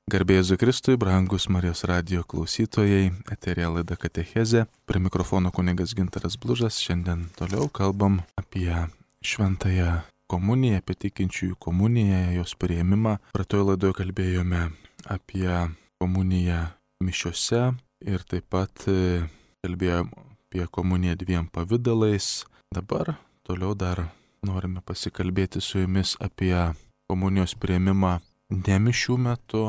Garbė Jėzui Kristui, brangus Marijos radijo klausytojai, eterija laida Katechezė, prie mikrofono kunigas Gintaras Blužas. Šiandien toliau kalbam apie šventąją komuniją, apie tikinčiųjų komuniją, jos priėmimą. Praeitoje laidoje kalbėjome apie komuniją mišiose ir taip pat kalbėjome apie komuniją dviem pavydalais. Dabar toliau dar norime pasikalbėti su jumis apie komunijos priėmimą ne mišių metu,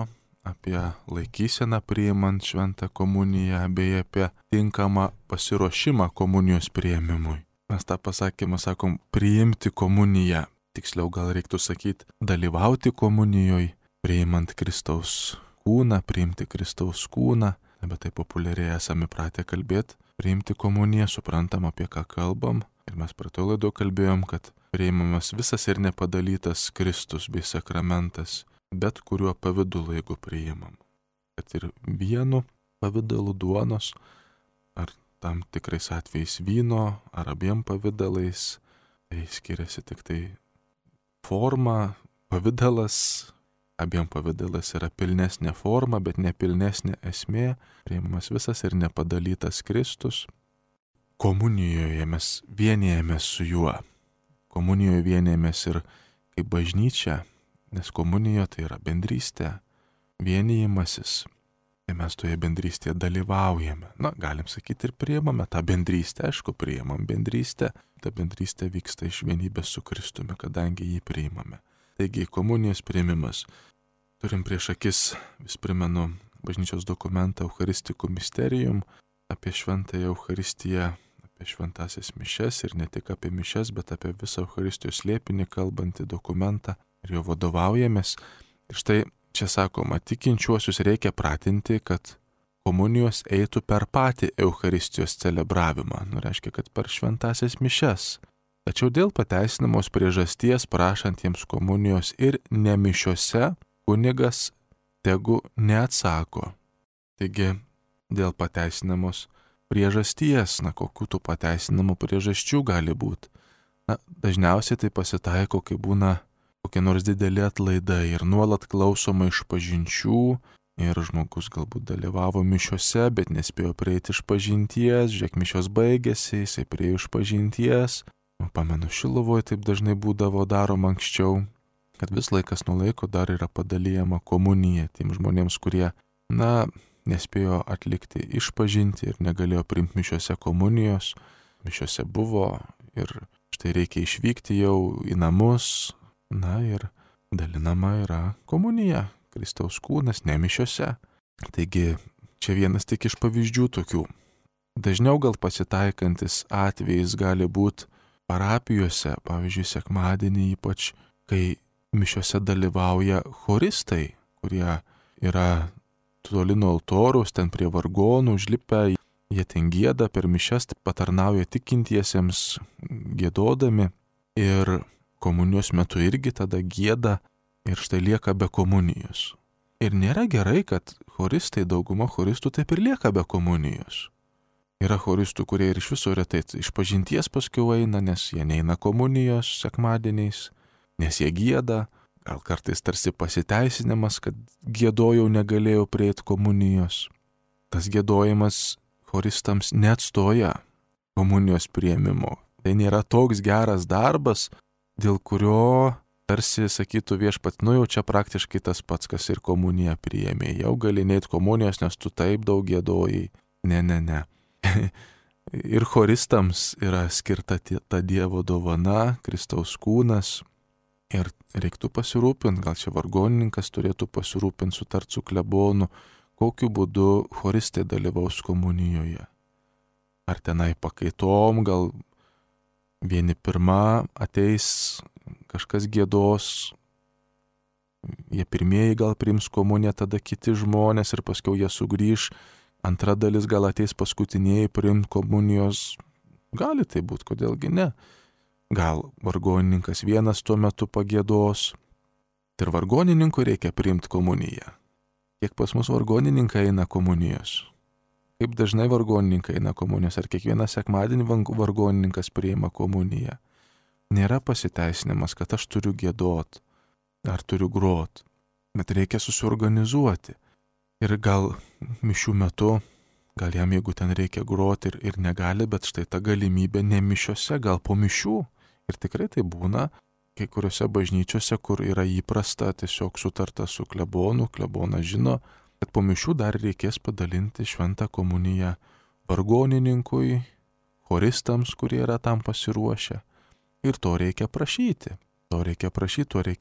apie laikyseną priimant šventą komuniją, bei apie tinkamą pasiruošimą komunijos priėmimui. Mes tą pasakymą sakom priimti komuniją, tiksliau gal reiktų sakyti dalyvauti komunijoje, priimant Kristaus kūną, priimti Kristaus kūną, bet tai populiariai esame pratę kalbėti, priimti komuniją, suprantam apie ką kalbam. Ir mes praeitoje laidoje kalbėjom, kad priimamas visas ir nepadalytas Kristus bei sakramentas, bet kuriuo pavidalu, jeigu priimam. Kad ir vienu pavidalu duonos, ar tam tikrais atvejais vyno, ar abiem pavidalais, tai skiriasi tik tai forma, pavidalas, abiem pavidalas yra pilnesnė forma, bet nepilnesnė esmė, priimamas visas ir nepadalytas Kristus. Komunijoje mes vienijamės su juo. Komunijoje vienijamės ir kaip bažnyčia, nes komunijoje tai yra bendrystė, vienijimasis. Tai mes toje bendrystėje dalyvaujame. Galim sakyti ir priimame tą bendrystę, aišku, priimam bendrystę. Ta bendrystė vyksta iš vienybės su Kristumi, kadangi jį priimame. Taigi, komunijos priėmimas. Turim prieš akis, vis primenu, bažnyčios dokumentą Eucharisticum Mysterium, apie šventąją Eucharistiją, apie šventąsias mišias ir ne tik apie mišias, bet apie visą Eucharistijos slėpinį kalbantį dokumentą ir jo vadovaujamės. Ir štai čia sakoma, tikinčiuosius reikia pratinti, kad komunijos eitų per patį Eucharistijos celebravimą, reiškia, kad per šventąsias mišias. Tačiau dėl pateisinamos priežasties prašantiems komunijos ir ne mišiose kunigas tegu neatsako. Taigi, dėl pateisinamos priežasties, kokių tų pateisinamų priežasčių gali būti. Dažniausiai tai pasitaiko, kai būna kokie nors dideli atlaidai ir nuolat klausoma išpažinčių ir žmogus galbūt dalyvavo mišiose, bet nespėjo prieiti išpažinties, žiūrėk, mišios baigėsi, jisai priejo išpažinties. Pamenu, Šiluvoje taip dažnai būdavo daroma anksčiau, kad vis laikas nuo laiko dar yra padalijama komunija tiem žmonėms, kurie, nespėjo atlikti išpažinti ir negalėjo priimti mišiose komunijos. Mišiose buvo ir štai reikia išvykti jau į namus. Ir dalinama yra komunija, Kristaus kūnas, ne mišiose. Taigi, čia vienas tik iš pavyzdžių tokių. Dažniau gal pasitaikantis atvejais gali būti parapijose, pavyzdžiui, sekmadienį, ypač kai mišiose dalyvauja choristai, kurie yra toli nuo altoriaus, ten prie vargonų užlipę, jie ten gieda per mišias, patarnauja tikintiesiems giedodami ir komunijos metu irgi tada gieda ir štai lieka be komunijos. Ir nėra gerai, kad choristai, dauguma choristų taip ir lieka be komunijos. Yra choristų, kurie ir iš viso retai išpažinties paskui eina, nes jie neina komunijos sekmadieniais, nes jie gieda. Gal kartais tarsi pasiteisinimas, kad giedojau negalėjau prieiti komunijos. Tas giedojimas choristams neatstoja komunijos priėmimo. Tai nėra toks geras darbas, dėl kurio tarsi sakytų viešpat, jau čia praktiškai tas pats, kas ir komuniją priėmė. Jau gali neit komunijos, nes tu taip daug giedojai. Ne. Ir choristams yra skirta ta Dievo dovana, Kristaus kūnas. Ir reiktų pasirūpinti, gal čia vargonininkas turėtų pasirūpinti, sutart su klebonu, kokiu būdu choristai dalyvaus komunijoje. Ar tenai pakaitom, gal vieni pirma ateis, kažkas giedos, jie pirmieji gal priims komuniją, tada kiti žmonės ir paskiau jie sugrįž, antra dalis gal ateis paskutiniai priimti komunijos, gali tai būti, kodėlgi ne. Gal vargonininkas vienas tuo metu pagiedos, ir vargonininkui reikia priimti komuniją. Kiek pas mus vargonininkai eina komunijos? Kaip dažnai vargonininkai eina komunijos, ar kiekvieną sekmadienį vargonininkas priima komuniją? Nėra pasiteisinimas, kad aš turiu giedot, ar turiu grot. bet reikia susiorganizuoti. Ir gal mišių metu, gal jam jeigu ten reikia groti ir negali, bet štai ta galimybė ne mišiose, gal po mišių. Ir tikrai tai būna kai kuriuose bažnyčiose, kur yra įprasta tiesiog sutarta su klebonu, klebonas žino, kad po mišių dar reikės padalinti šventą komuniją vargonininkui, choristams, kurie yra tam pasiruošę. Ir to reikia prašyti. To reikia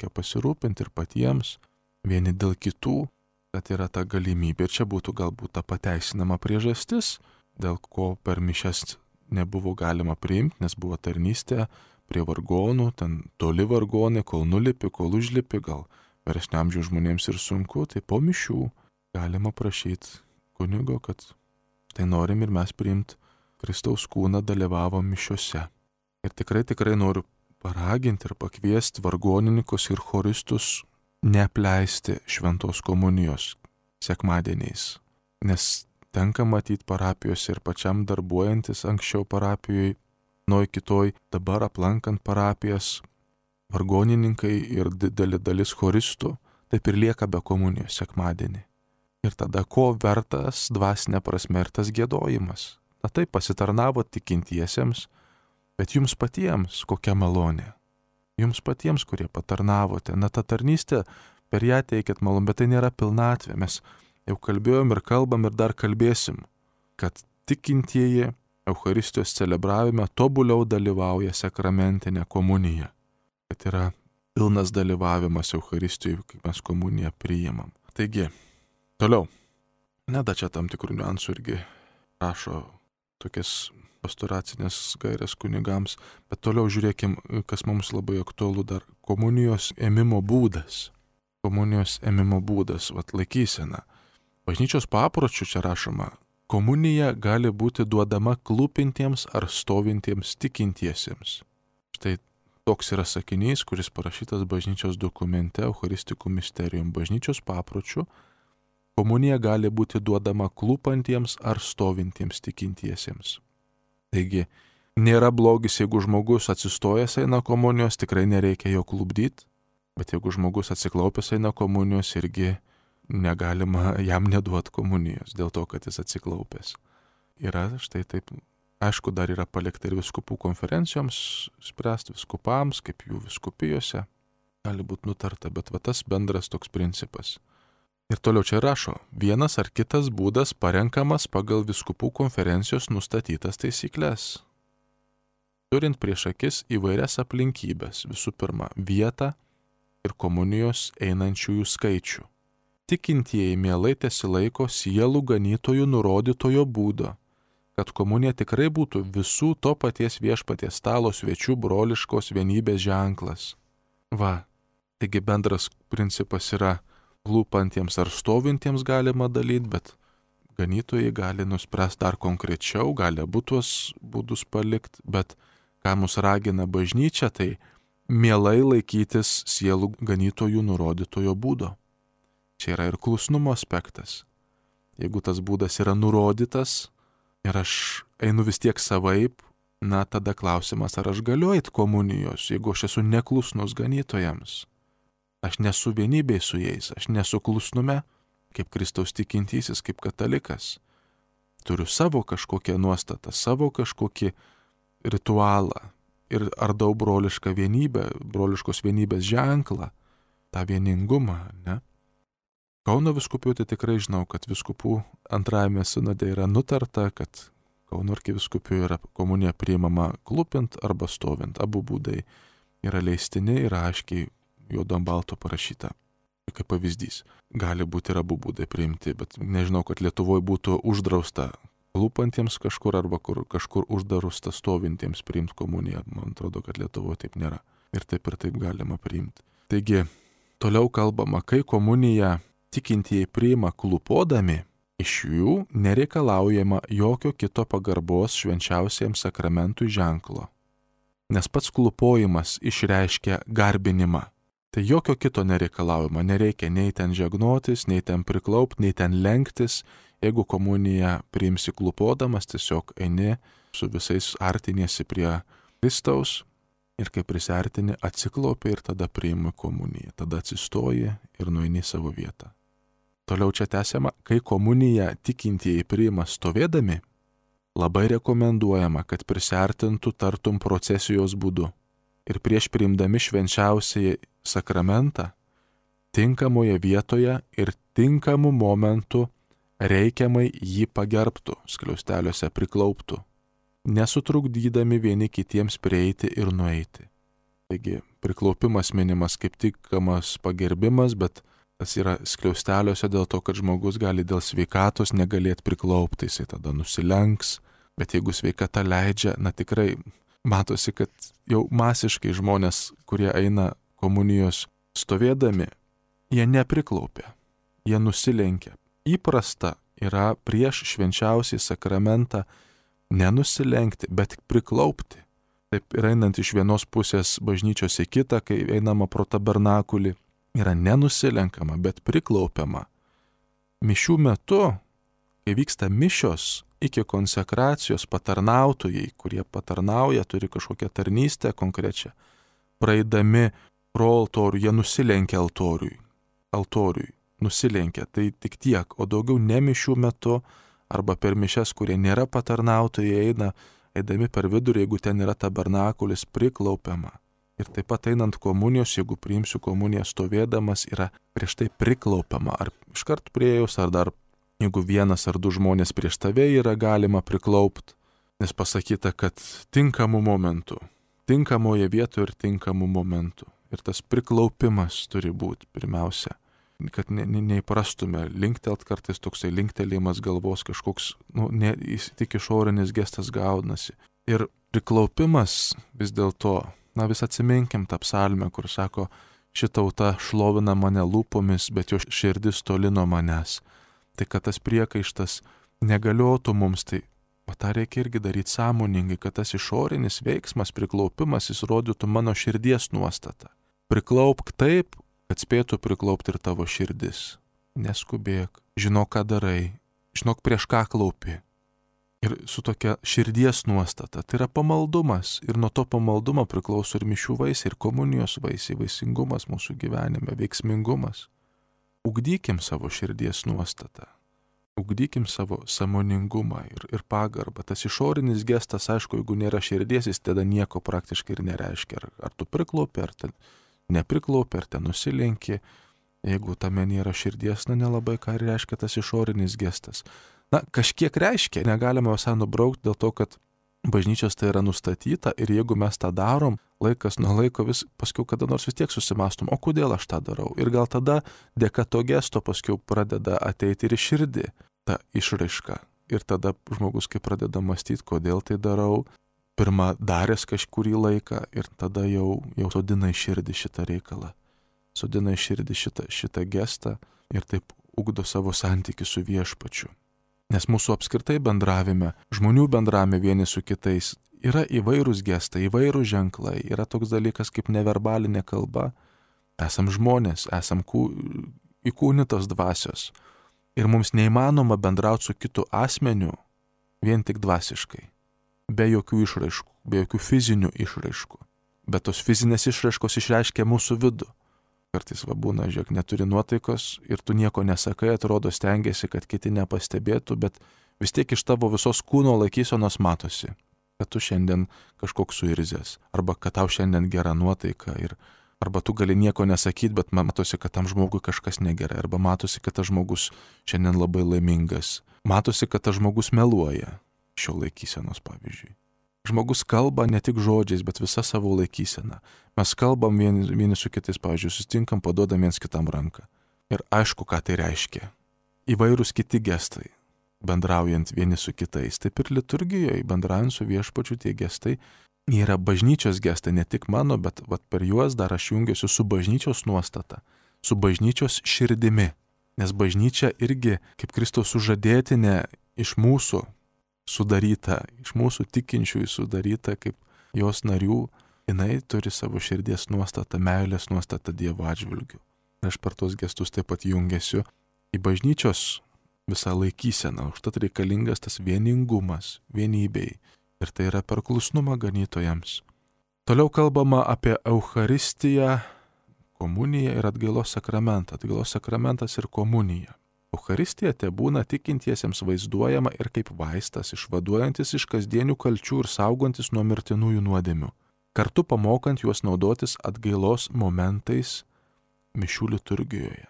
pasirūpinti ir patiems, vieni dėl kitų, kad yra ta galimybė. Ir čia būtų galbūt ta pateisinama priežastis, dėl ko per mišias nebuvo galima priimti, nes buvo tarnystė prie vargonų, ten toli vargonai, kol nulipi, kol užlipi, gal vyresnio amžiaus žmonėms ir sunku, tai po mišių galima prašyti kunigo, kad tai norim ir mes priimti Kristaus kūną, dalyvavom mišiuose. Ir tikrai noriu paraginti ir pakviesti vargonininkus ir choristus neapleisti šventos komunijos sekmadieniais. Nes tenka matyti parapijose ir pačiam darbuojantis anksčiau parapijoje, nuo kitoj, dabar aplankant parapijas, vargonininkai ir didelė dalis choristų taip ir lieka be komunijos sekmadienį. Ir tada ko vertas dvasinė prasme ir tas giedojimas? Na taip, pasitarnavo tikintiesiems, bet jums patiems kokia malonė. Jums patiems, kurie patarnavote. Na ta tarnystė, per ją teikėt malonę, bet tai nėra pilnatvė. Mes jau kalbėjom ir kalbam ir dar kalbėsim, kad tikintieji Eucharistijos celebravime tobuliau dalyvauja sakramentinė komunija. Kad yra pilnas dalyvavimas Eucharistijoje, kai mes komuniją priimam. Taigi, toliau. Neda čia tam tikrų niuansų irgi rašo tokias pastoracinės gairės kunigams, bet toliau žiūrėkim, kas mums labai aktualu dar. Komunijos ėmimo būdas. Komunijos ėmimo būdas, laikysena. Bažnyčios papročių čia rašoma, komunija gali būti duodama klūpintiems ar stovintiems tikintiesiems. Štai toks yra sakinys, kuris parašytas bažnyčios dokumente Eucharistikų Mysterium. Bažnyčios papročių komunija gali būti duodama klūpantiems ar stovintiems tikintiesiems. Taigi, nėra blogis, jeigu žmogus atsistojęs eina komunijos, tikrai nereikia jo klupdyti, bet jeigu žmogus atsiklaupęs eina komunijos, irgi negalima jam neduoti komunijos dėl to, kad jis atsiklaupęs. Yra štai taip, aišku, dar yra palikta ir viskupų konferencijoms spręsti, viskupams, kaip jų viskupijose gali būti nutarta, bet tas bendras toks principas. Ir toliau čia rašo, vienas ar kitas būdas parenkamas pagal viskupų konferencijos nustatytas taisyklės. Turint prieš akis įvairias aplinkybės, visų pirma, vietą ir komunijos einančiųjų skaičių. Tikintieji mielai tesilaiko sielų ganytojų nurodytojo būdo, kad komunija tikrai būtų visų to paties viešpaties stalo svečių broliškos vienybės ženklas. Taigi bendras principas yra, klūpantiems ar stovintiems galima dalyti, bet ganytojai gali nuspręsti dar konkrečiau, gali abu tuos būdus palikti, bet ką mus ragina bažnyčia, tai mielai laikytis sielų ganytojų nurodytojo būdo. Čia yra ir klusnumo aspektas. Jeigu tas būdas yra nurodytas ir aš einu vis tiek savaip, tada klausimas, ar aš galiu eiti komunijos, jeigu aš esu neklusnus ganytojams. Aš nesu vienybėj su jais, aš nesu klusnume, kaip Kristaus tikintysis, kaip katalikas. Turiu savo kažkokią nuostatą, savo kažkokį ritualą ir ardau brolišką vienybę, broliškos vienybės ženklą, tą vieningumą, ne? Kauno viskupijų tai tikrai žinau, kad viskupų antrajame sinode yra nutarta, kad Kauno arkivyskupijų yra komunija priimama klūpint arba stovint. Abu būdai yra leistini ir aiškiai juodu ant balto parašyta. Kaip pavyzdys. Gali būti ir abu būdai priimti, bet nežinau, kad Lietuvoje būtų uždrausta klūpantiems kažkur arba kažkur uždrausta stovintiems priimti komuniją. Man atrodo, kad Lietuvoje taip nėra. Ir taip galima priimti. Taigi, toliau kalbama, kai komuniją tikintieji priima klūpodami, iš jų nereikalaujama jokio kito pagarbos švenčiausiam sakramentui ženklo. Nes pats klūpojimas išreiškia garbinimą. Tai jokio kito nereikalaujama, nereikia nei ten žegnotis, nei ten priklaupti, nei ten lenktis. Jeigu komuniją priimsi klūpodamas, tiesiog eini su visais artiniesi prie Kristaus Ir kai prisiartini, atsiklaupi ir tada priimi komuniją. Tada atsistoji ir nueini į savo vietą. Toliau čia tęsiama, kai komuniją tikintieji priima stovėdami, labai rekomenduojama, kad prisiartintų tartum procesijos būdu. Ir prieš priimdami švenčiausiąjį sakramentą, tinkamoje vietoje ir tinkamu momentu reikiamai jį pagerbtų, skliausteliuose priklauptų, nesutrukdydami vieni kitiems prieiti ir nueiti. Taigi, priklaupimas minimas kaip tinkamas pagerbimas, bet tas yra skliausteliuose dėl to, kad žmogus gali dėl sveikatos negalėti priklaupti, jisai tada nusilenks, bet jeigu sveikata leidžia, tikrai matosi, kad jau masiškai žmonės, kurie eina komunijos stovėdami, jie nepriklaupia, jie nusilenkia. Įprasta yra prieš švenčiausią sakramentą nenusilenkti, bet priklaupti. Taip ir einant iš vienos pusės bažnyčios į kitą, kai einama pro tabernakulį, yra nenusilenkama, bet priklaupiama. Mišių metu, kai vyksta mišios, iki konsekracijos patarnautojai, kurie patarnauja, turi kažkokią tarnystę konkrečią, praeidami pro altorių, jie nusilenkia altoriui, nusilenkia, tai tik tiek, o daugiau ne mišių metu arba per mišias, kurie nėra patarnautojai, eidami per vidurį, jeigu ten yra tabernakulis, priklaupiama. Ir taip pat einant komunijos, jeigu priimsiu komuniją stovėdamas, yra prieš tai priklaupiama, ar iškart priejus, ar dar, jeigu vienas ar du žmonės prieš tave yra galima priklaupti, nes pasakyta, kad tinkamu momentu, tinkamoje vietoje ir tinkamu momentu. Ir tas priklaupimas turi būti pirmiausia, kad neįprastume linktelt, kartais toksai linktelėjimas galvos kažkoks, tik išorinis gestas gaunasi. Ir priklaupimas vis dėlto, vis atsiminkim tą psalmę, kur sako, ši tauta šlovina mane lūpomis, bet jo širdis toli nuo manęs. Tai kad tas priekaištas negaliotų mums, tai tą reikia irgi daryti sąmoningai, kad tas išorinis veiksmas, priklaupimas, jis rodytų mano širdies nuostatą. Priklaupk taip, kad spėtų priklaupti ir tavo širdis. Neskubėk, žinok, ką darai, žinok, prieš ką klaupi. Ir su tokia širdies nuostata, tai yra pamaldumas. Ir nuo to pamaldumo priklauso ir mišių vaisiai, ir komunijos vaisiai, vaisingumas mūsų gyvenime, veiksmingumas. Ugdykim savo širdies nuostatą. Ugdykim savo sąmoningumą ir pagarbą. Tas išorinis gestas, aišku, jeigu nėra širdies, jis tada nieko praktiškai ir nereiškia. Ar tu priklaupi, ar ten nepriklaupi, ar ten nusilenki. Jeigu tame nėra širdies, nelabai ką reiškia tas išorinis gestas. Kažkiek reiškia, negalime visai nubraukti dėl to, kad bažnyčios tai yra nustatyta ir jeigu mes tą darom, laikas nuo laiko paskiau kada nors vis tiek susimastom, o kodėl aš tą darau. Ir gal tada dėka to gesto paskiau pradeda ateiti ir į širdį ta išraiška. Ir tada žmogus, kai pradeda mąstyti, kodėl tai darau, pirmą daręs kažkurį laiką ir tada jau sodina į širdį šitą reikalą. Sodina į širdį šitą gestą ir taip ugdo savo santykį su viešpačiu. Nes mūsų apskritai bendravime, žmonių bendravime vieni su kitais yra įvairūs gestai, įvairūs ženklai, yra toks dalykas kaip neverbalinė kalba. Esam žmonės, esam įkūnytos dvasios. Ir mums neįmanoma bendrauti su kitu asmeniu vien tik dvasiškai. Be jokių išraiškų, be jokių fizinių išraiškų. Bet tos fizinės išraiškos išreiškia mūsų vidų. Kartais būna, žiūrėk, neturi nuotaikos ir tu nieko nesakai, atrodo stengiasi, kad kiti nepastebėtų, bet vis tiek iš tavo visos kūno laikysenos matosi, kad tu šiandien kažkoks suirzęs, arba kad tau šiandien gera nuotaika, arba tu gali nieko nesakyti, bet matosi, kad tam žmogui kažkas negerai, arba matosi, kad tas žmogus šiandien labai laimingas, matosi, kad tas žmogus meluoja. Šio laikysenos, pavyzdžiui. Žmogus kalba ne tik žodžiais, bet visa savo laikysena. Mes kalbam vieni su kitais, pavyzdžiui, susitinkam, paduodam viens kitam ranką. Ir aišku, ką tai reiškia. Įvairūs kiti gestai, bendraujant vieni su kitais. Taip ir liturgijoje, bendraujant su viešpačiu, tie gestai yra bažnyčios gestai, ne tik mano, bet per juos dar aš jungiuosi su bažnyčios nuostata, su bažnyčios širdimi. Nes bažnyčia irgi, kaip Kristaus sužadėtinė, iš mūsų sudaryta, iš mūsų tikinčiųjų sudaryta kaip jos narių, jinai turi savo širdies nuostatą, meilės nuostatą Dievo atžvilgiu. Aš per tos gestus taip pat jungiasiu į bažnyčios visą laikyseną, užtat reikalingas tas vieningumas, vienybei. Ir tai yra per klusnumą ganytojams. Toliau kalbama apie Eucharistiją, komuniją ir atgailos sakramentą. Atgailos sakramentas ir komunija. Eucharistija tebūna tikintiesiems vaizduojama ir kaip vaistas, išvaduojantis iš kasdienių kalčių ir saugantis nuo mirtinųjų nuodėmių, kartu pamokant juos naudotis atgailos momentais mišių liturgijoje.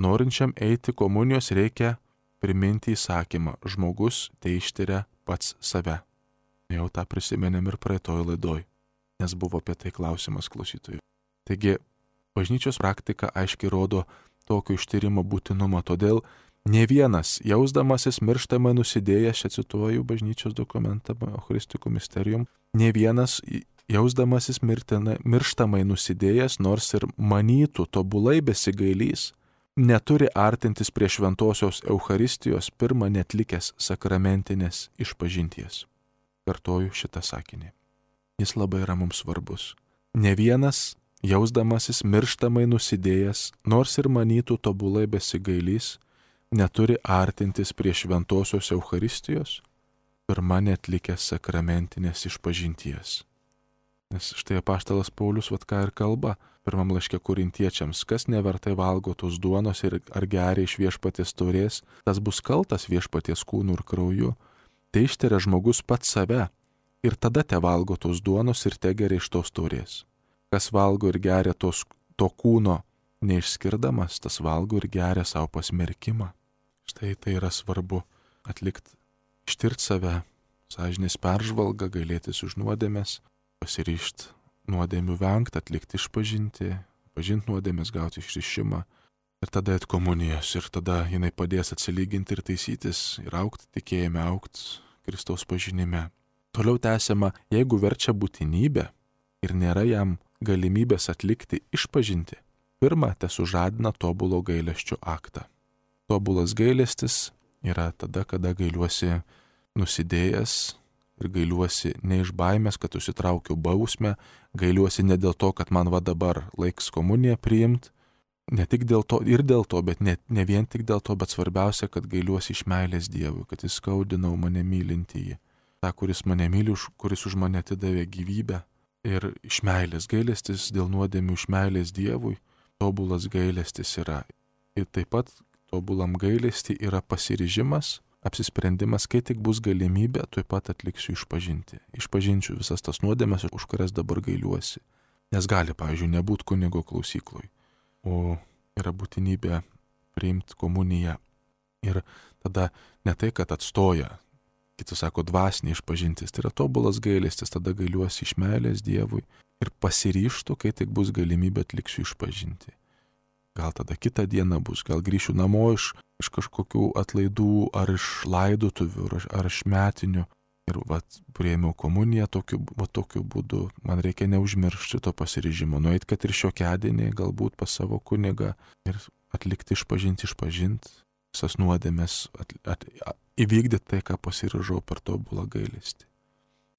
Norinčiam eiti komunijos reikia priminti įsakymą: žmogus teištiria pats save. Jau tą prisimenėm ir praeitoj laidoj, nes buvo apie tai klausimas klausytojų. Taigi, bažnyčios praktika aiškiai rodo tokio ištyrimo būtinumą, todėl ne vienas, jausdamasis mirštamai nusidėjęs, čia cituoju bažnyčios dokumentą Eucharistikų Mysterium, ne vienas, jausdamasis mirštamai nusidėjęs, nors ir manytų tobulai besigailys, neturi artintis prie šventosios Eucharistijos pirmą netlikęs sakramentinės išpažinties. Kartoju šitą sakinį. Jis labai yra mums svarbus. Ne vienas, jausdamasis mirštamai nusidėjęs, nors ir manytų tobulai besigailys, neturi artintis prie šventosios Eucharistijos pirmą netlikęs sakramentinės išpažinties. Nes štai apaštalas Paulius ką ir kalba pirmam laiške Korintiečiams: kas nevertai valgo tos duonos ir ar geria iš viešpaties taurės, tas bus kaltas viešpaties kūnu ir krauju. Tai ištiria žmogus pats save ir tada te valgo tos duonos ir te geria iš tos taurės. Kas valgo ir geria to kūno neišskirdamas, tas valgo ir geria savo pasmerkimą. Štai tai yra svarbu atlikti, ištirti save, sąžinės peržvalgą, gailėtis už nuodėmes, pasiryžti nuodėmių vengti, atlikti išpažinti, pažinti nuodėmės, gauti išrišimą ir tada eit komunijos ir tada jinai padės atsilyginti ir taisytis ir augti tikėjime, augti Kristaus pažinime. Toliau tęsiama: jeigu verčia būtinybė ir nėra jam galimybės atlikti išpažinti, pirma, tesužadina tobulo gailesčio aktą. Tobulas gailestis yra tada, kada gailiuosi nusidėjęs ir gailiuosi ne iš baimės, kad užsitraukiau bausmę, gailiuosi ne dėl to, kad man dabar laiks komuniją priimti, ne tik dėl to ir dėl to, bet ne vien tik dėl to, bet svarbiausia, kad gailiuosi iš meilės Dievui, kad jis skaudinau mane mylintįjį, tą, kuris mane myli, kuris už mane atidavė gyvybę. Ir iš meilės gailestis dėl nuodėmių, iš meilės Dievui, tobulas gailestis yra. Ir taip pat tobulam gailestį yra pasiryžimas, apsisprendimas, kai tik bus galimybė, tuoj pat atliksiu išpažinti. Išpažinčiau visas tas nuodėmes, už kurias dabar gailiuosi. Nes gali, pavyzdžiui, nebūti kunigo klausykloj, o yra būtinybė priimti komuniją. Ir tada ne tai, kad atstoja, kiti sako dvasinė išpažintis, tai yra tobulas gailestis, tada gailiuosi iš meilės Dievui ir pasiryžtu, kai tik bus galimybė atliksiu išpažinti. Gal tada kitą dieną bus, gal grįšiu namo iš kažkokių atlaidų ar iš laidotuvių ar iš metinių ir priėmiau komuniją tokiu būdu. Man reikia neužmiršti to pasiryžimo, nueit, kad ir šiokiadienį galbūt pas savo kunigą ir atlikti išpažinti, visas nuodėmes, įvykdyti tai, ką pasiryžau per tobulą gailestį.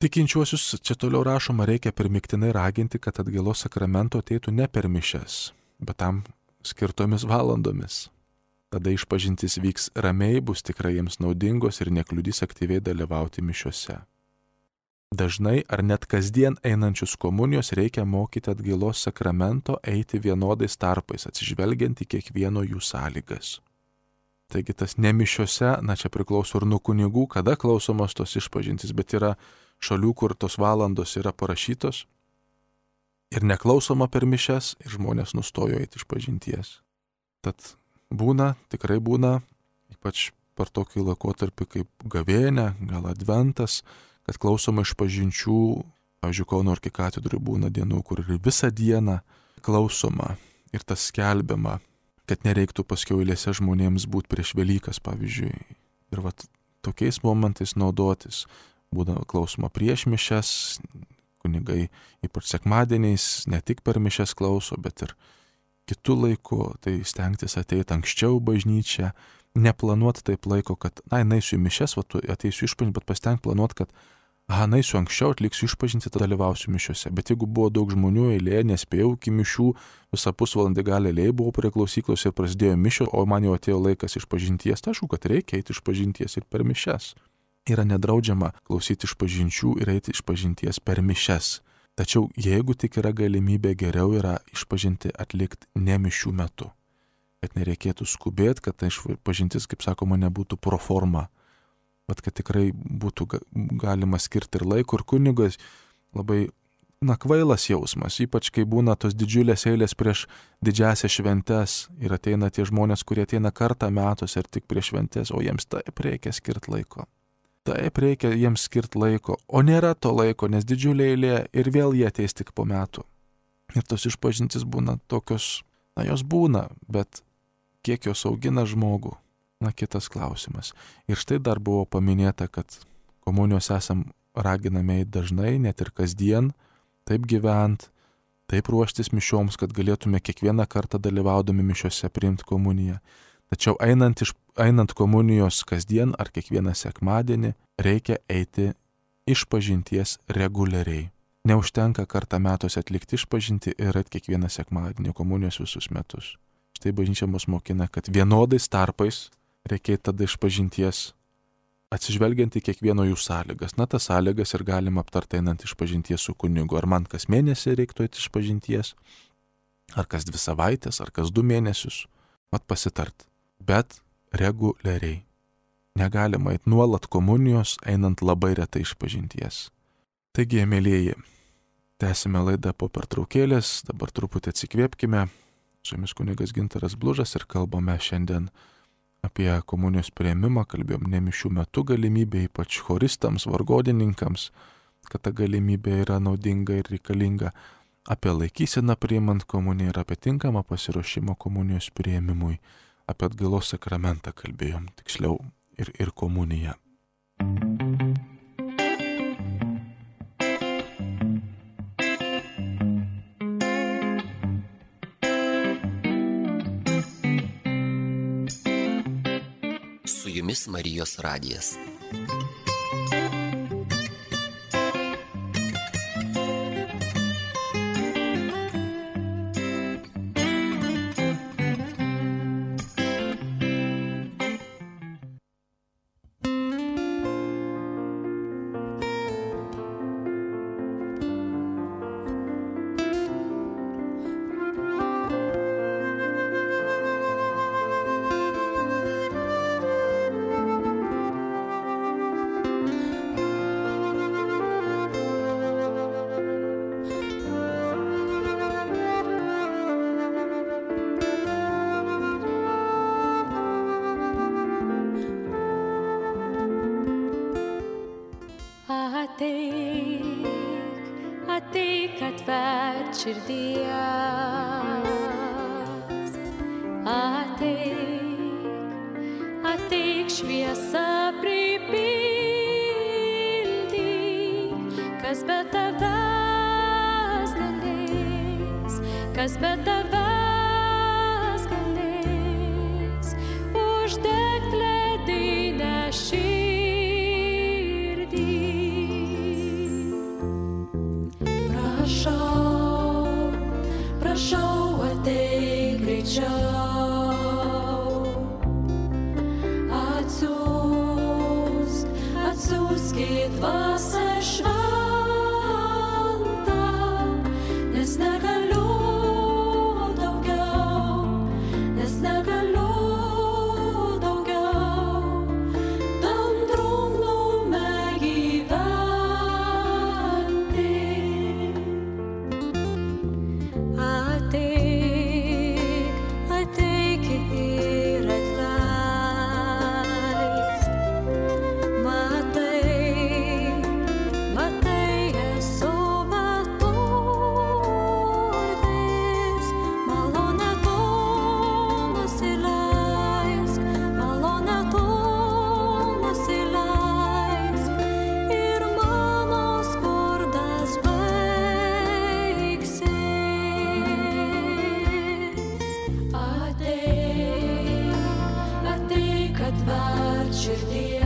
Tikinčiuosius, čia toliau rašoma, reikia primiktinai raginti, kad atgailos sakramento ateitų ne per mišias, bet tam skirtomis valandomis. Tada išpažintis vyks ramiai, bus tikrai jiems naudingos ir nekliudys aktyviai dalyvauti mišiuose. Dažnai ar net kasdien einančius komunijos reikia mokyti atgailos sakramento eiti vienodais tarpais, atsižvelgiant į kiekvieno jų sąlygas. Taigi tas ne mišiuose, čia priklauso ir nuo kunigų, kada klausomos tos išpažintis, bet yra šalių, kur tos valandos yra parašytos ir neklausoma per mišias ir žmonės nustojo eiti išpažinties. Tad tikrai būna, ypač per tokį laikotarpį kaip gavėnia, gal adventas, kad klausoma išpažinčių, pavyzdžiui, Kauno arkikatedroj būna dienų, kur ir visą dieną klausoma ir tas skelbiama, kad nereiktų paskiau eilėse žmonėms būti prieš Velykas, pavyzdžiui. Ir tokiais momentais naudotis. Būna klausoma prieš mišias, kunigai ypač sekmadieniais ne tik per mišias klauso, bet ir kitų laikų, tai stengtis ateiti anksčiau bažnyčią, neplanuoti taip laiko, kad, naisiu į mišias, ateisiu išpažinti, bet pasitengt planuoti, kad, naisiu anksčiau, atliksiu išpažinti, tada dalyvausiu mišiuose. Bet jeigu buvo daug žmonių eilė, nespėjau iki mišių, visą pusvalandį gal eilėje buvau prie klausyklos ir prasidėjo mišio, o man jau atėjo laikas išpažinties, tai aišku, kad reikia eiti išpažinties ir per mišias. Yra nedraudžiama klausyti išpažinčių ir eiti išpažinties per mišias. Tačiau jeigu tik yra galimybė, geriau yra išpažinti atlikti ne mišių metu. Kad nereikėtų skubėti, kad ta išpažintis, kaip sakoma, nebūtų pro forma. Bet kad tikrai būtų galima skirti ir laiko, ir kunigas labai kvailas jausmas, ypač kai būna tos didžiulės eilės prieš didžiasias šventes ir ateina tie žmonės, kurie ateina kartą metus ir tik prieš šventes, o jiems taip reikia skirti laiko. Taip reikia jiems skirti laiko, o nėra to laiko, nes didžiulė eilė ir vėl jie ateis tik po metų. Ir tos išpažintis būna tokios, jos būna, bet kiek jos augina žmogų, kitas klausimas. Ir štai dar buvo paminėta, kad komunijos esam raginami dažnai, net ir kasdien, taip gyvent, taip ruoštis mišioms, kad galėtume kiekvieną kartą dalyvaudami mišiose priimti komuniją. Tačiau einant komunijos kasdien ar kiekvieną sekmadienį, reikia eiti išpažinties reguliariai. Neužtenka kartą metuose atlikti išpažinti ir eiti kiekvieną sekmadienį komunijos visus metus. Štai bažnyčia mus mokina, kad vienodais tarpais reikia tada išpažinties, atsižvelgiant į kiekvieno jų sąlygas. Tas sąlygas ir galima aptarti einant išpažinties su kunigu. Ar man kas mėnesį reiktų eiti išpažinties, ar kas 2 savaitės, ar kas 2 mėnesius, pasitart. Bet reguliariai. Negalima eiti nuolat komunijos, einant labai retai išpažinties. Taigi, mėlyjeji, tęsime laidą po pertraukėlės, dabar truputį atsikvėpkime. Su jumis kunigas Gintaras Blužas ir kalbame šiandien apie komunijos priėmimą, kalbėjom ne mišių metu galimybė, ypač choristams, vargodininkams, kad ta galimybė yra naudinga ir reikalinga, apie laikyseną priimant komuniją ir apie tinkamą pasiruošimą komunijos priėmimui. Apie atgailos sakramentą kalbėjom, tiksliau ir komuniją. Su jumis Marijos radijas. Ateik, atverk širdies, ateik šviesą pripildyk, kas be tavęs galės, kas be tavęs galės, uždegt ledinę širdį. Prašau, ateik greičiau, atsiųsk į dvasią šventą, nes negaliu daugiau, tam drungnume gyventi. Ateik ir atleisk. Matai, esu beturtis, malonę tu nusileisk, ir mano skurdas baigsis. Ateik, atverk širdies,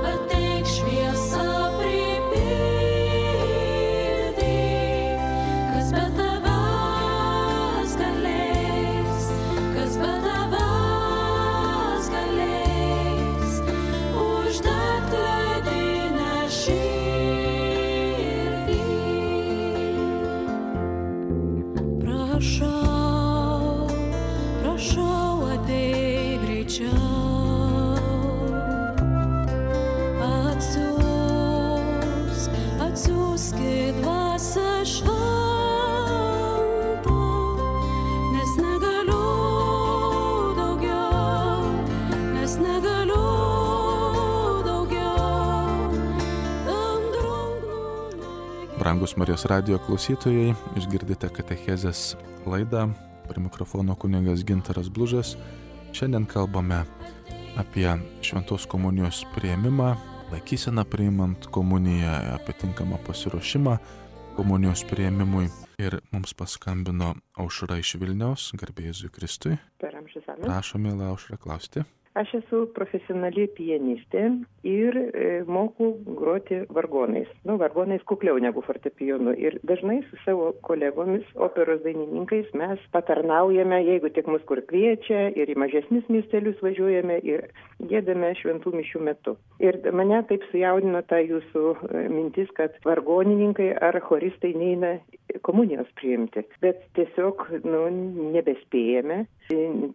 ateik šviesą pripildyk, kas be tavęs galės, uždegt prašau, prašau ateik greičiau. Atsiųskit dvasią šventą, nes negaliu daugiau, tam drungnu mėginiu. Brangus Marijos radijo klausytojai, išgirdite katechezės laidą. Prie mikrofono kunigas Gintaras Blužas. Šiandien kalbame apie šventos komunijos priėmimą, laikyseną priimant komuniją, apie tinkamą pasiruošimą komunijos priėmimui. Ir mums paskambino Aušra iš Vilniaus, garbė Jėzui Kristui. Per amžius amen. Prašom, mėla Aušra, klausti. Aš esu profesionali pianistė ir moku groti vargonais. Vargonais kukliau negu fortepijonu. Ir dažnai su savo kolegomis, operos dainininkais, mes patarnaujame, jeigu tik mus kur kviečia, ir į mažesnius miestelius važiuojame ir giedame šventų mišių metu. Ir mane taip sujaudino ta jūsų mintis, kad vargonininkai ar choristai neina komunijos priimti. Bet tiesiog nebespėjame.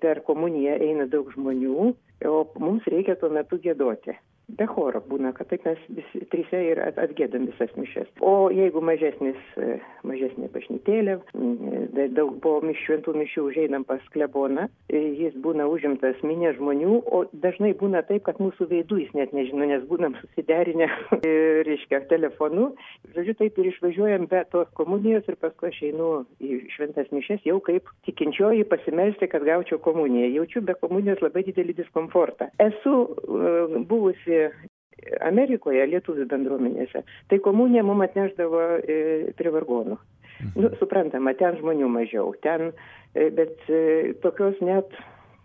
Per komuniją eina daug žmonių, o mums reikia tuo metu giedoti. Be choro būna, kad taip mes visi trise ir atgiedam visas mišias. O jeigu mažesnė bažnytėlė, daug po šventų mišių užeinam pas kleboną, jis būna užimtas minė žmonių, o dažnai būna taip, kad mūsų veidų jis net nežino, nes būnam susiderinę, telefonu. Žodžiu, taip ir išvažiuojam be tos komunijos ir paskui aš einu į šventas mišias jau kaip tikinčioji pasimelsti, kad gaučiau komuniją. Jaučiu be komunijos labai didelį diskomfortą. Esu buvusi Amerikoje, lietuvių bendruomenėse, tai komuniją mums atneždavo prie vargonų. Suprantama, ten žmonių mažiau, bet tokios net,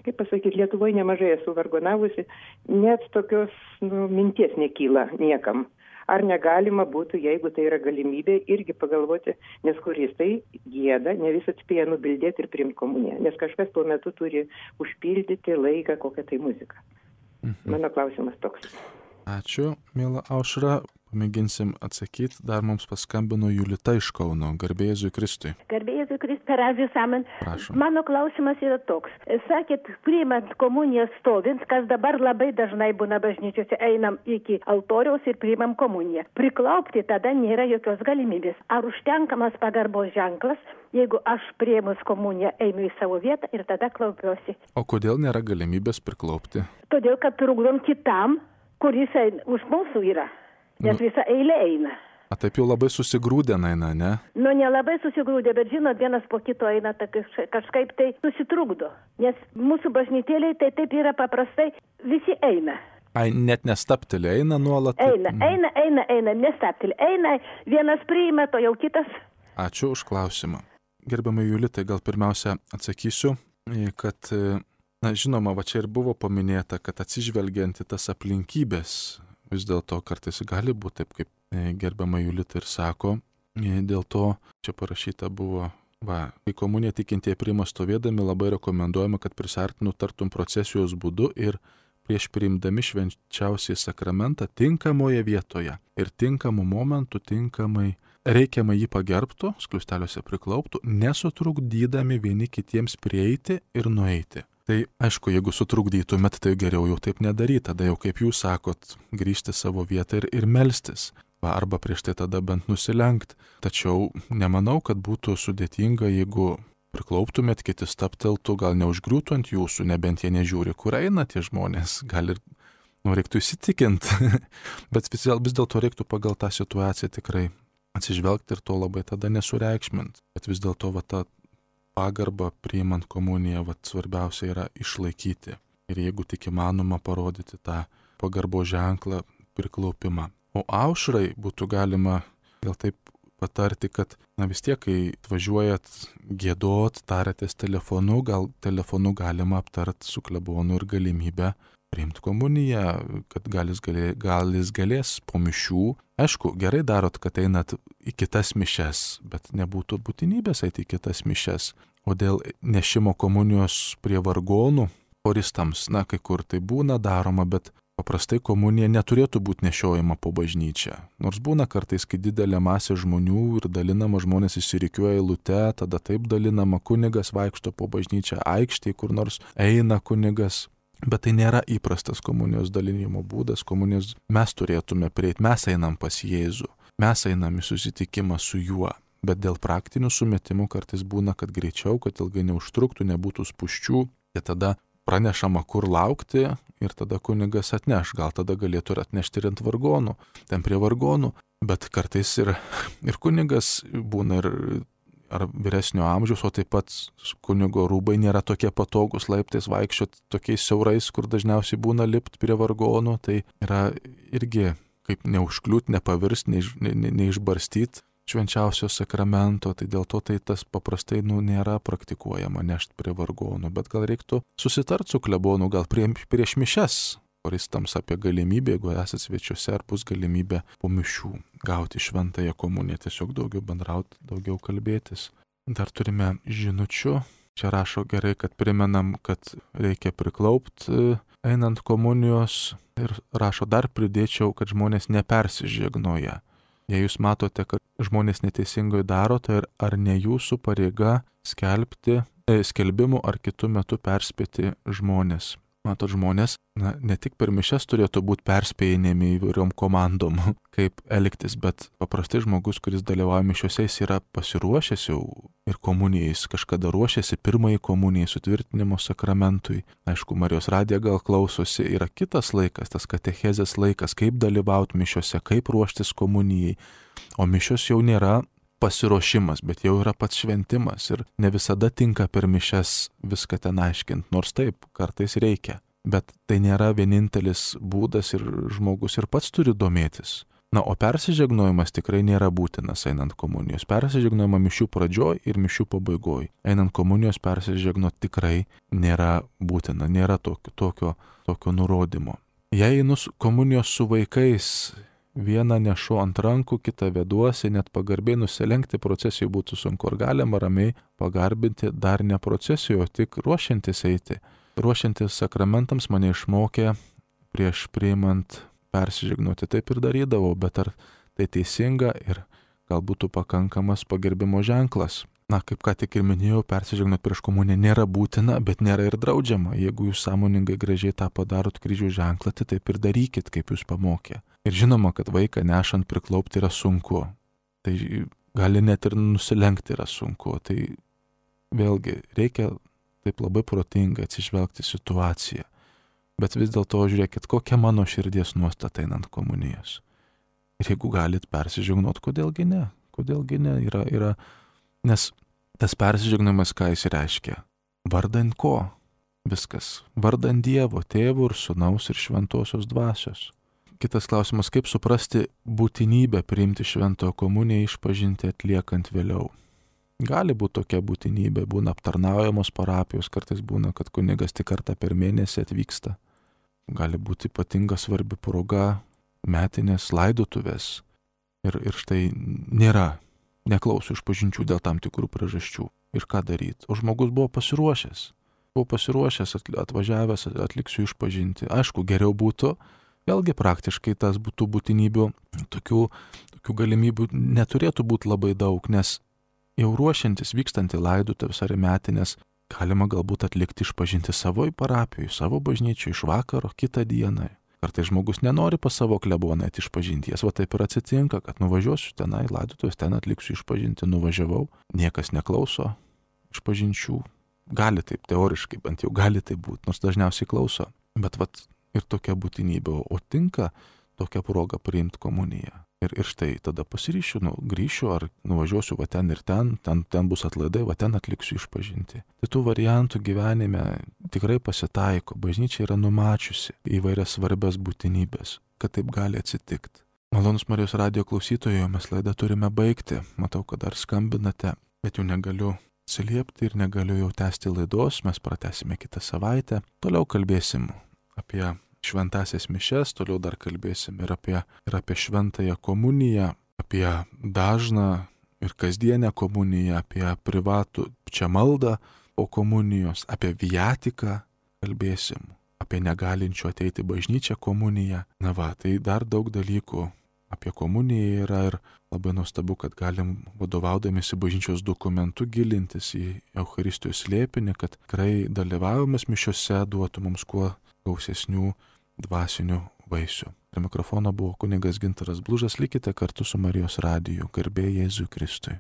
kaip pasakyti, Lietuvoje nemažai esu vargonavusi, net tokios minties nekyla niekam. Ar negalima būtų, jeigu tai yra galimybė, irgi pagalvoti, nes choristai gieda, ne vis atspėja nubildėti ir priimti komuniją, nes kažkas tuo metu turi užpildyti laiką kokią tai muziką. Mano klausimas toks. Ačiū, mėla Aušra. Pamėginsim atsakyti. Dar mums paskambino Julita iš Kauno. Garbė Jėzui Kristui. Garbė Jėzui Kristui, per amžius amen. Prašom. Mano klausimas yra toks. Sakėt, priimant komuniją stovint, kas dabar labai dažnai būna bažnyčiose, einam iki altoriaus ir priimam komuniją. Priklaupti tada nėra jokios galimybės. Ar užtenkamas pagarbos ženklas, jeigu aš priėmus komuniją einu į savo vietą ir tada klaupiuosi? O kodėl nėra galimybės priklaupti? Todėl, kad trukdom kitam, kuris už mūsų yra. Nes visa eilė eina. A taip jau labai susigrūdę eina, ne? Nelabai susigrūdę, bet žinot, vienas po kito eina, kažkaip tai susitrukdo. Nes mūsų bažnytėliai tai taip yra paprastai, visi eina. Ai, net nestaptelė, eina nuolat. Eina, nestaptelė. Eina, vienas priima, to jau kitas. Ačiū už klausimą. Gerbiamai Julitai, gal pirmiausia atsakysiu, kad, žinoma, va čia ir buvo paminėta, kad atsižvelgiant į tas aplinkybės, vis dėlto kartais gali būti taip, kaip gerbiama Julita ir sako, dėl to čia parašyta buvo, kai komuniją tikintieji priima stovėdami, labai rekomenduojama, kad prisartinu tartum procesijos būdu ir prieš priimdami švenčiausiai sakramentą tinkamoje vietoje ir tinkamu momentu tinkamai reikiamai jį pagerbtų, skliausteliuose priklauptų, nesutrukdydami vieni kitiems prieiti ir nueiti. Tai aišku, jeigu sutrukdytumėt, tai geriau jau taip nedaryti, tada jau kaip jūs sakot, grįžti savo vietą ir melstis, arba prieš tai tada bent nusilenkt. Tačiau nemanau, kad būtų sudėtinga, jeigu priklauptumėt, kiti stapteltų, gal neužgriūtų ant jūsų, nebent jie nežiūri, kur eina tie žmonės, gal ir reiktų įsitikinti, bet vis dėlto reiktų pagal tą situaciją tikrai atsižvelgti ir to labai tada nesureikšmint. Bet vis dėlto ta pagarbą priimant komuniją, svarbiausia yra išlaikyti. Ir jeigu tik įmanoma parodyti tą pagarbo ženklą, priklaupimą. O Aušrai būtų galima gal taip patarti, kad vis tiek, kai atvažiuojat giedot, tarėtės telefonu, gal telefonu galima aptart su klebonu ir galimybę priimti komuniją, kad gal jis galės po mišių. Aišku, gerai darot, kad einat į kitas mišias, bet nebūtų būtinybės eiti į kitas mišias. O dėl nešimo komunijos prie vargonų, choristams, kai kur tai būna daroma, bet paprastai komunija neturėtų būti nešiojama po bažnyčią. Nors būna kartais, kai didelė masė žmonių ir dalinama, žmonės išsirikiuoja eilute, tada taip dalinama, kunigas vaikšto po bažnyčią aikštėje, kur nors eina kunigas. Bet tai nėra įprastas komunijos dalinimo būdas. Komunijos mes turėtume prieiti, mes einam pas Jėzų, mes einam į susitikimą su juo. Bet dėl praktinių sumetimų kartais būna, kad greičiau, kad ilgai neužtruktų, nebūtų spūsčių, tai tada pranešama, kur laukti ir tada kunigas atneš. Gal tada galėtų ir atnešti ir ant vargonų, ten prie vargonų. Bet kartais ir kunigas būna ir ar vyresnio amžiaus, o taip pat kunigo rūbai nėra tokie patogus laiptais vaikščiot tokiais siaurais, kur dažniausiai būna lipt prie vargonų. Tai yra irgi kaip neužkliūt, nepavirst, neišbarstyt švenčiausio sakramento, tai dėl to tai tas paprastai nėra praktikuojama nešti prie vargonų, bet gal reiktų susitart su klebonu, gal prieš mišias, koristams apie galimybę, jeigu esate svečiuose, ar bus galimybė po mišių gauti šventąją komuniją, tiesiog daugiau bendrauti, daugiau kalbėtis. Dar turime žinučių, čia rašo gerai, kad primenam, kad reikia priklaupti einant komunijos ir rašo dar pridėčiau, kad žmonės nepersižegnoja. Jei jūs matote, kad žmonės neteisingai daro, tai ar ne jūsų pareiga skelbimų ar kitų metų perspėti žmonės. Matot, žmonės ne tik per mišias turėtų būti perspėjami įvairiom komandom, kaip elgtis, bet paprastai žmogus, kuris dalyvauja mišiuose, jis yra pasiruošęs jau ir komunijai, jis kažkada ruošiasi pirmąjį komunijai, sutvirtinimo sakramentui. Aišku, Marijos radija gal klausosi, yra kitas laikas, tas katechezės laikas, kaip dalyvauti mišiuose, kaip ruoštis komunijai, o mišios jau nėra pasiruošimas, bet jau yra pats šventimas ir ne visada tinka per mišias viską ten aiškinti, nors taip, kartais reikia. Bet tai nėra vienintelis būdas ir žmogus ir pats turi domėtis. Na, o persižegnojimas tikrai nėra būtinas einant komunijos. Persižegnojama mišių pradžioj ir mišių pabaigoj. Einant komunijos persižegnot tikrai nėra būtina, nėra tokio nurodymo. Jei einu komunijos su vaikais, vieną nešu ant rankų, kitą veduosi, net pagarbiai nusilenkti procesijų būtų sunku, ar galima ramiai pagarbinti dar ne procesijų, o tik ruošiantis eiti. Ruošiantis sakramentams mane išmokė prieš priimant persižegnoti, taip ir darydavau, bet ar tai teisinga ir gal būtų pakankamas pagerbimo ženklas. Na, kaip ką tik ir minėjau, persižegnot prieš komuniją nėra būtina, bet nėra ir draudžiama. Jeigu jūs sąmoningai gražiai tą padarot kryžių ženklą, tai taip ir darykit, kaip jūs pamokė. Ir žinoma, kad vaiką nešant priklaupti yra sunku. Tai gali net ir nusilenkti yra sunku. Tai vėlgi reikia taip labai protingai atsižvelgti situaciją. Bet vis dėlto žiūrėkit, kokia mano širdies nuostata einant komunijos. Ir jeigu galit persižegnot, kodėlgi ne? Kodėlgi ne? Yra nes tas persižegnojimas, ką jis reiškia? Vardan ko? Viskas. Vardan Dievo, Tėvo ir Sūnaus ir Šventosios Dvasios. Kitas klausimas, kaip suprasti būtinybę priimti šventojo komuniją išpažinti atliekant vėliau. Gali būti tokia būtinybė, būna aptarnaujamos parapijos, kartais būna, kad kunigas tik kartą per mėnesį atvyksta. Gali būti ypatinga svarbi proga, metinės laidotuvės. Ir štai neklauso išpažinčių dėl tam tikrų priežasčių. Ir ką daryti? O žmogus buvo pasiruošęs. Atvažiavęs, atliksiu išpažinti. Aišku, geriau būtų, vėlgi praktiškai tas būtų būtinybių, tokių galimybių neturėtų būti labai daug, nes jau ruošiantis vykstant į laidotuvės ar metinės, galima galbūt atlikti išpažinti savo parapijoje, savo bažnyčioje iš vakaro kitą dieną. Kartais žmogus nenori pas savo kleboną išpažinti, jas va taip ir atsitinka, kad nuvažiuosiu tenai, laidotuvės, ten atliksiu išpažinti, nuvažiavau, niekas neklauso išpažinčių. Gali taip, teoriškai bent jau gali taip būti, nors dažniausiai klauso. Bet vat ir tokia būtinybė, o tinka tokia proga priimti komuniją. Ir štai tada pasiryšiu, grįšiu ar nuvažiuosiu va ten ir ten bus atlaidai, va ten atliksiu išpažinti. Tai tų variantų gyvenime tikrai pasitaiko, bažnyčia yra numačiusi įvairias svarbias būtinybės, kad taip gali atsitikti. Malonus Marijos radijo klausytojai, mes laidą turime baigti, matau, kad dar skambinate, bet jau negaliu atsiliepti ir negaliu jau tęsti laidos, mes pratęsime kitą savaitę, toliau kalbėsim apie šventasias mišias, toliau dar kalbėsim ir apie šventąją komuniją, apie dažną ir kasdienę komuniją, apie privatų čia maldą po komunijos, apie viatiką kalbėsim, apie negalinčių ateiti bažnyčią komuniją. Na va, tai dar daug dalykų apie komuniją yra ir labai nuostabu, kad galim vadovaudamėsi bažnyčios dokumentu gilintis į Eucharistijos slėpinį, kad tikrai dalyvavimas mišiose duotų mums kuo gausesnių dvasinių vaisių. Prie mikrofono buvo kunigas Gintaras Blužas, likite kartu su Marijos radiju. Garbė Jėzui Kristui.